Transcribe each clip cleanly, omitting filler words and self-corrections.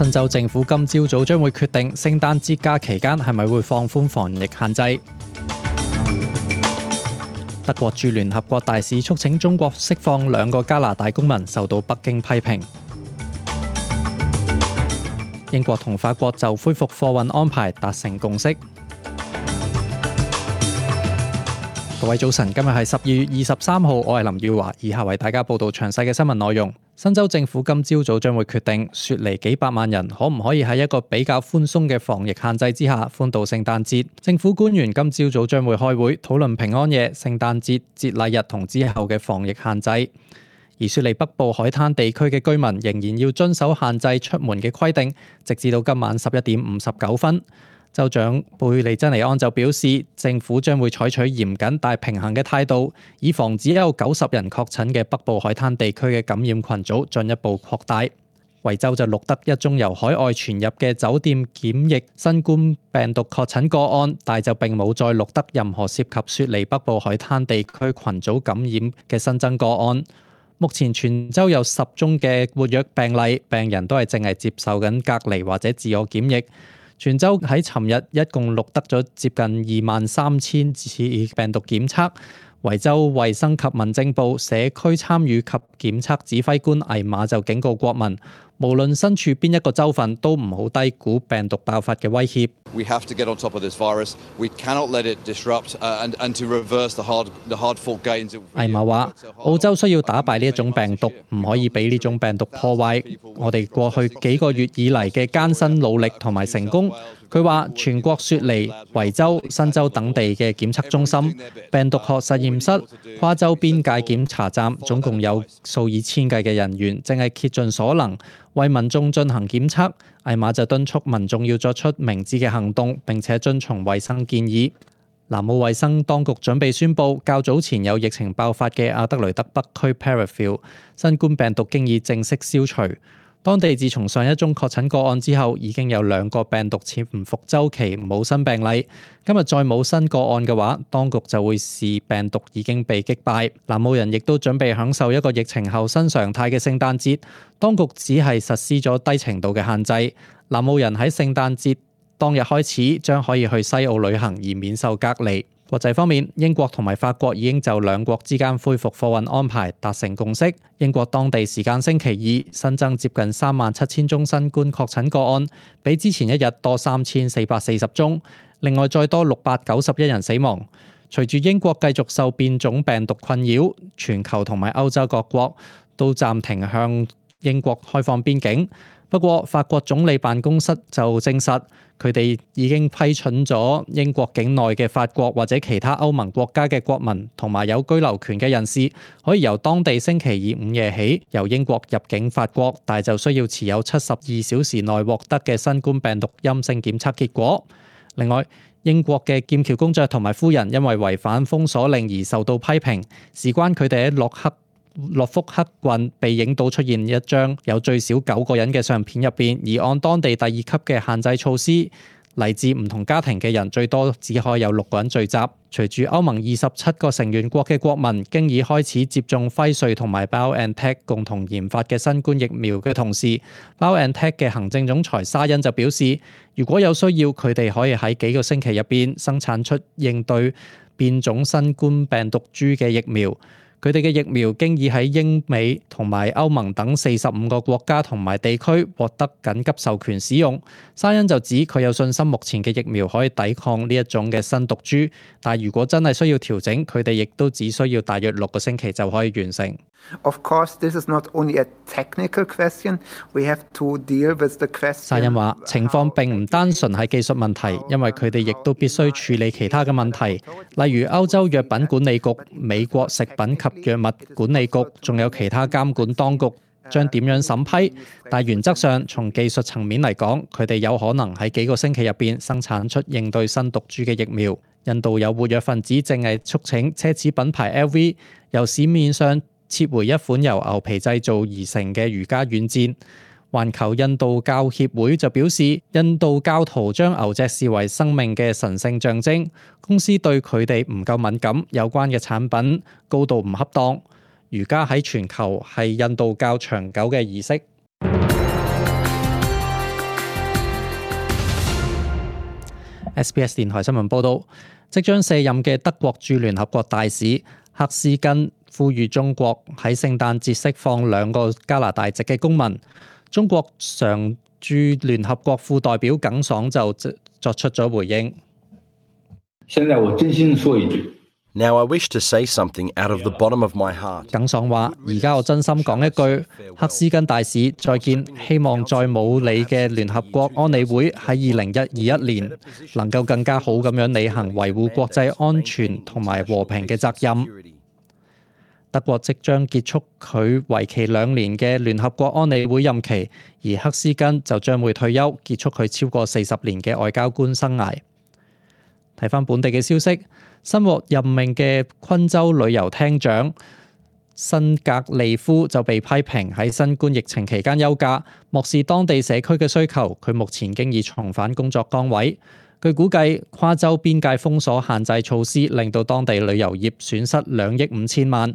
新州政府今朝早將會決定聖誕節假期間係咪會放寬防疫限制。德國駐聯合國大使促請中國釋放2個加拿大公民，受到北京批評。英國同法國就恢復貨運安排達成共識。各位早晨，今日係12月23號，我係林耀華，以下為大家報道詳細嘅新聞內容。新州政府今朝早將會決定，雪梨幾百萬人可唔可以喺一個比較寬鬆嘅防疫限制之下歡度聖誕節。政府官員今朝早將會開會討論平安夜、聖誕節、節禮日同之後嘅防疫限制。而雪梨北部海灘地區嘅居民仍然要遵守限制出門嘅規定，直至到今晚11點59分。州長貝利珍尼安就表示，政府將會採取嚴謹但平衡嘅態度，以防止有90人確診嘅北部海灘地區嘅感染群組進一步擴大。維州就錄得一宗由海外傳入嘅酒店檢疫新冠病毒確診個案，但就並冇再錄得任何涉及雪梨北部海灘地區群組感染嘅新增個案。目前全州有10宗嘅活躍病例，病人都係淨係接受緊隔離或者自我檢疫。全州喺尋日一共錄得咗接近23000次病毒檢測。維州衛生及民政部社區參與及檢測指揮官艾瑪就警告國民，無論身處邊一個州份，都唔好低估病毒爆發嘅威脅。We have to get on top of this virus. We cannot let it disrupt and to reverse the hard-fought gains. 艾瑪話：澳洲需要打敗呢一種病毒，唔可以俾呢種病毒破壞我哋過去幾個月以嚟嘅艱辛努力同埋成功。佢話：全國雪梨、維州、新州等地嘅檢測中心、病毒學實驗室、跨州邊界檢查站，總共有數以千計嘅人員，正係竭盡所能為民眾進行檢測。艾瑪就敦促民眾要作出明智嘅行動，並且遵從衛生建議。南澳衛生當局準備宣布，較早前有疫情爆發嘅阿德雷德北區 Parafield 新冠病毒經已正式消除。當地自從上一宗確診個案之後，已經有2個病毒潛伏週期冇新病例。今日再冇新個案嘅話，當局就會視病毒已經被擊敗。南澳人亦都準備享受一個疫情後新常態嘅聖誕節。當局只係實施咗低程度嘅限制。南澳人喺聖誕節當日開始將可以去西澳旅行而免受隔離。國際方面，英國同埋法國已經就2國之間恢復貨運安排達成共識。英國當地時間星期二新增接近37000宗新冠確診個案，比之前一日多3440宗，另外再多691人死亡。隨住英國繼續受變種病毒困擾，全球同埋歐洲各國都暫停向英國開放邊境。不過，法國總理辦公室就證實，佢哋已經批准咗英國境內嘅法國或者其他歐盟國家嘅國民同埋有居留權嘅人士，可以由當地星期二午夜起由英國入境法國，但就需要持有72小時內獲得嘅新冠病毒陰性檢測結果。另外，英國嘅劍橋公爵同埋夫人因為違反封鎖令而受到批評，事關佢哋喺諾福克郡被影到出現一張有最少9個人嘅相片入邊，而按當地第2級嘅限制措施，嚟自唔同家庭嘅人最多只可以有6個人聚集。隨住歐盟27個成員國嘅國民經已開始接種輝瑞同埋 BioNTech 共同研發嘅新冠疫苗嘅同時， BioNTech 嘅行政總裁沙欣就表示，如果有需要，佢哋可以喺幾個星期入邊生產出應對變種新冠病毒株嘅疫苗。佢哋嘅疫苗經已喺英美同埋歐盟等45個國家同埋地區獲得緊急授權使用。沙欣就指佢有信心目前嘅疫苗可以抵抗呢一種嘅新毒株，但如果真係需要調整，佢哋亦都只需要大約6個星期就可以完成。Of course, this is not only a technical question. We have to deal with the question. 沙欣話：情況並唔單純係技術問題，因為佢哋亦都必須處理其他嘅問題，例如歐洲藥品管理局、美國食品及藥物管理局，仲有其他監管當局將點樣審批。但原則上，從技術層面嚟講，佢哋有可能喺幾個星期入邊生產出應對新毒株嘅疫苗。印度有活躍分子正係促請奢侈品牌 LV 由市面上撤回一款由牛皮製造而成嘅瑜伽軟墊。環球印度教協會就表示，印度教徒將牛隻視為生命嘅神聖象徵，公司對佢哋唔夠敏感，有關嘅產品高度唔恰當。瑜伽喺全球係印度教長久嘅儀式。SBS 電台新聞報導，即將卸任嘅德國駐聯合國大使赫斯根呼籲中國喺聖誕節釋放2個加拿大籍嘅公民。中國常駐聯合國副代表耿爽就作出咗回應。現在我真心說一句。Now I wish to say something out of the bottom of my heart. 耿爽話：而家我真心講一句，赫斯根大使再見，希望再冇你嘅聯合國安理會喺2021年能夠更加好咁樣履行維護國際安全同埋和平嘅責任。德國即將結束佢為期2年嘅聯合國安理會任期，而赫斯根就將會退休，結束佢超過40年嘅外交官生涯。睇返本地嘅消息。新獲任命嘅昆州旅遊廳長辛格利夫就被批評喺新冠疫情期間休假，漠視當地社區嘅需求。佢目前經已重返工作崗位。據估計，跨州邊界封鎖限制措施令到當地旅遊業損失2億5千萬。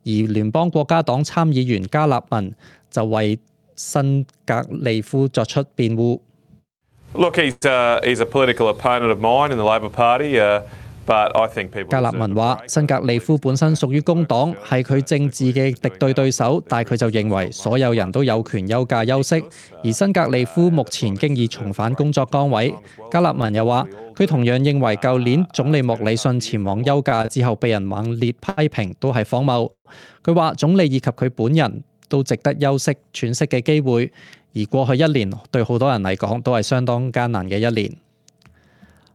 而聯邦國家黨參議員加納文就為辛格利夫作出辯護。Look, he's a political opponent of mine in the Labor Party.加納文話：辛格利夫本身屬於工黨，係佢政治嘅敵對對手，但佢就認為所有人都有權休假休息。而辛格利夫目前經已重返工作崗位。加納文又話：佢同樣認為舊年總理莫里遜前往休假之後被人猛烈批評都係荒謬。佢話總理以及佢本人都值得休息喘息嘅機會，而過去1年對好多人嚟講都係相當艱難嘅1年。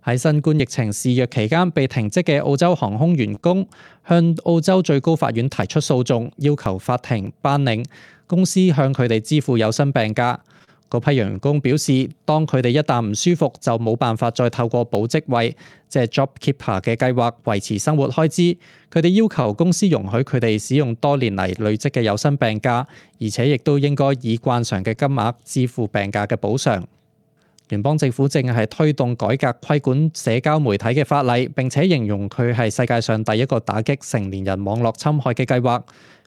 喺新冠疫情肆虐期間被停職嘅澳洲航空員工向澳洲最高法院提出訴訟，要求法庭頒令公司向佢哋支付有薪病假。嗰批員工表示，當佢哋一旦唔舒服，就冇辦法再透過保職位，即係 JobKeeper 嘅計劃維持生活開支。佢哋要求公司容許佢哋使用多年嚟累積嘅有薪病假，而且亦都應該以慣常嘅金額支付病假嘅補償。聯邦政府正係推動改革規管社交媒體嘅法例，並且形容佢係世界上第一個打擊成年人網絡侵害嘅計劃。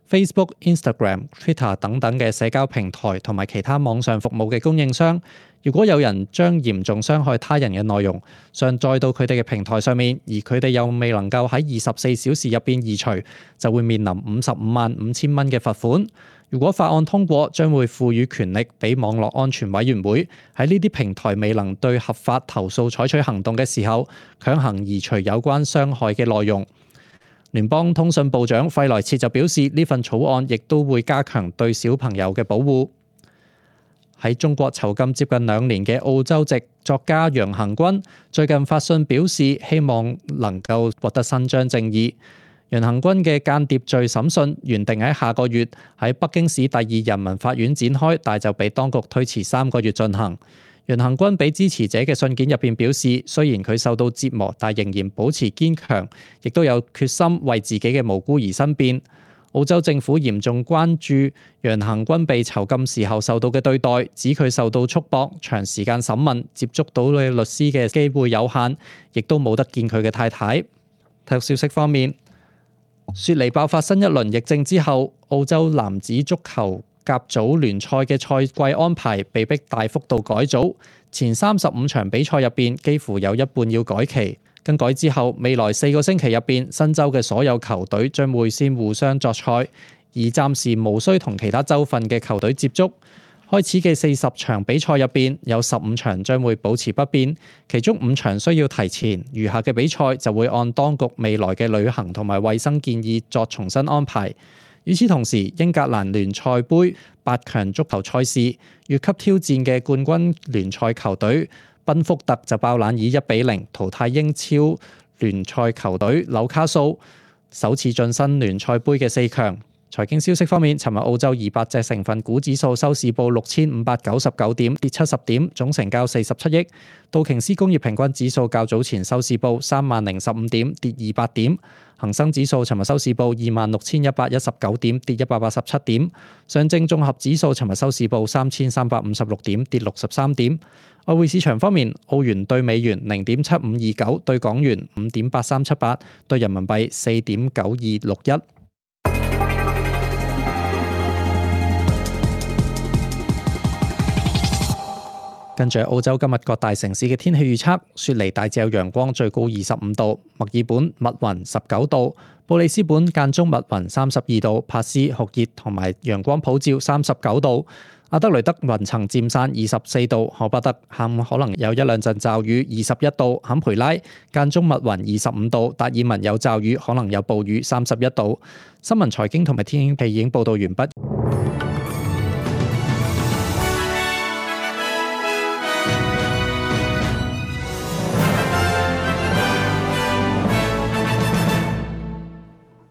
Facebook、Instagram、Twitter 等等嘅社交平台同埋其他網上服務嘅供應商，如果有人將嚴重傷害他人嘅內容上載到佢哋嘅平台上面，而佢哋又未能夠喺24小時入邊移除，就會面臨55,500蚊嘅罰款。如果法案通過，將會賦予權力俾網絡安全委員會喺呢啲平台未能對合法投訴採取行動嘅時候，強行移除有關傷害嘅內容。聯邦通訊部長費萊切就表示，呢份草案亦都會加強對小朋友嘅保護。喺中國囚禁接近2年嘅澳洲籍作家楊恆均最近發信表示，希望能夠獲得伸張正義。楊恆均嘅間諜罪審訊原定喺下個月喺北京市第2人民法院展開，但就被當局推遲3個月進行。楊恆均俾支持者嘅信件入邊表示，雖然佢受到折磨，但仍然保持堅強，亦都有決心為自己嘅無辜而申辯。澳洲政府嚴重關注楊恆均被囚禁時候受到嘅對待，指佢受到束縛、長時間審問、接觸到嘅律師嘅機會有限，亦都冇得見佢嘅太太。體育消息方面，雪梨爆發新一輪疫症之後，澳洲男子足球甲組聯賽嘅賽季安排被迫大幅度改組，前35場比賽入邊幾乎有一半要改期。更改之後，未來4個星期入邊，新州嘅所有球隊將會先互相作賽，而暫時無需同其他州份嘅球隊接觸。開始嘅40場比賽入邊，有15場將會保持不變，其中5場需要提前，餘下嘅比賽就會按當局未來嘅旅行同埋衛生建議作重新安排。與此同時，英格蘭聯賽杯8強足球賽事越級挑戰嘅冠軍聯賽球隊賓福特就爆冷以1-0淘汰英超聯賽球隊紐卡素，首次晉身聯賽杯嘅4強。財經消息方面，尋日澳洲200隻成分股指數收市報6599點，跌70點，總成交47億。道瓊斯工業平均指數較早前收市報30015點，跌200點。恒生指數尋日收市報26119點，跌187點。上證綜合指數尋日收市報3356點，跌63點。外匯市場方面，澳元對美元0.7529，對港元5.8378，對人民幣4.9261。跟住澳洲今日各大城市嘅天氣預測：雪梨大致有陽光，最高25度；墨爾本密雲19度；布里斯本間中密雲32度；珀斯酷熱同埋陽光普照39度；阿德雷德雲層漸散24度；荷巴特下午可能有一兩陣驟雨21度；坎培拉間中密雲25度；達爾文有驟雨可能有暴雨31度。新聞財經同埋天氣已經報道完畢。